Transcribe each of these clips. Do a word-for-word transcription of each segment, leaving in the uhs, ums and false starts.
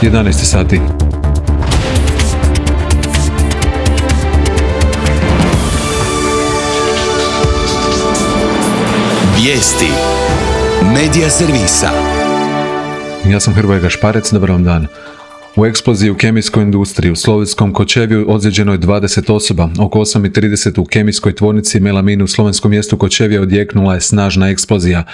jedanaest sati. Vijesti Medija servisa. Ja sam Hrvoje Gašparec, dobar vam dan. U eksploziji u kemijskoj industriji u slovenskom Kočevju ozlijeđeno je dvadeset osoba. Oko osam i trideset u kemijskoj tvornici Melamine u slovenskom mjestu Kočevje odjeknula je snažna eksplozija.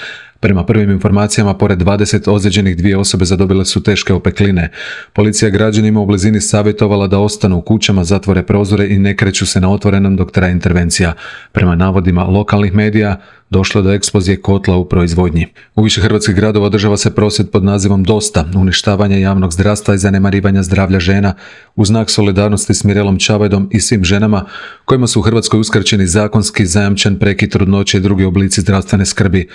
Prema prvim informacijama, pored dvadeset ozlijeđenih, dvije osobe zadobile su teške opekline. Policija građanima u blizini savjetovala da ostanu u kućama, zatvore prozore i ne kreću se na otvorenom dok traje intervencija. Prema navodima lokalnih medija, došlo do eksplozije kotla u proizvodnji. U više hrvatskih gradova održava se prosvjed pod nazivom Dosta, uništavanje javnog zdravstva i zanemarivanja zdravlja žena, u znak solidarnosti s Mirelom Čavajdom i svim ženama kojima su u Hrvatskoj uskraćeni zakonski zajamčen prekid trudnoće i drugi oblici zdravstvene skrbi.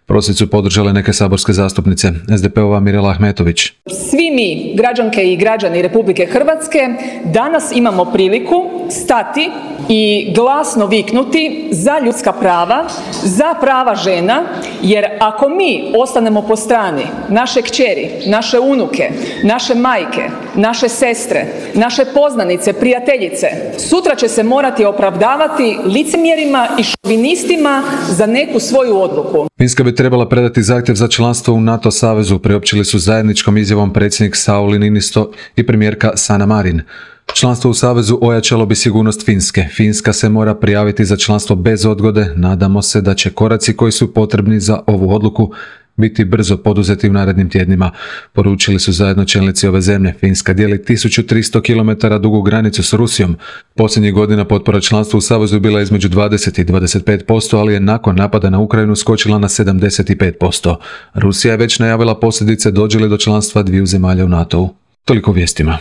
Prosvjed su podržale neke saborske zastupnice. es de pe ova Mirela Ahmetović. Svi mi, građanke i građani Republike Hrvatske, danas imamo priliku stati i glasno viknuti za ljudska prava, za prava žena, jer ako mi ostanemo po strani naše kćeri, naše unuke, naše majke, naše sestre, naše poznanice, prijateljice, sutra će se morati opravdavati licemjerima i šovinistima za neku svoju odluku. Finska bi trebala predati zahtjev za članstvo u NATO savezu, priopćili su zajedničkom izjavom predsjednik Sauli Niinisto i premijerka Sanna Marin. Članstvo u savezu ojačalo bi sigurnost Finske. Finska se mora prijaviti za članstvo bez odgode. Nadamo se da će koraci koji su potrebni za ovu odluku biti brzo poduzeti u narednim tjednima, poručili su zajedno čelnici ove zemlje. Finska dijeli tisuću tristo kilometara dugu granicu s Rusijom. Posljednjih godina potpora članstvu u savezu bila između dvadeset i dvadeset pet posto, ali je nakon napada na Ukrajinu skočila na sedamdeset pet posto. Rusija je već najavila posljedice dođe li do članstva dviju zemalja u NATO-u. Toliko vijestima.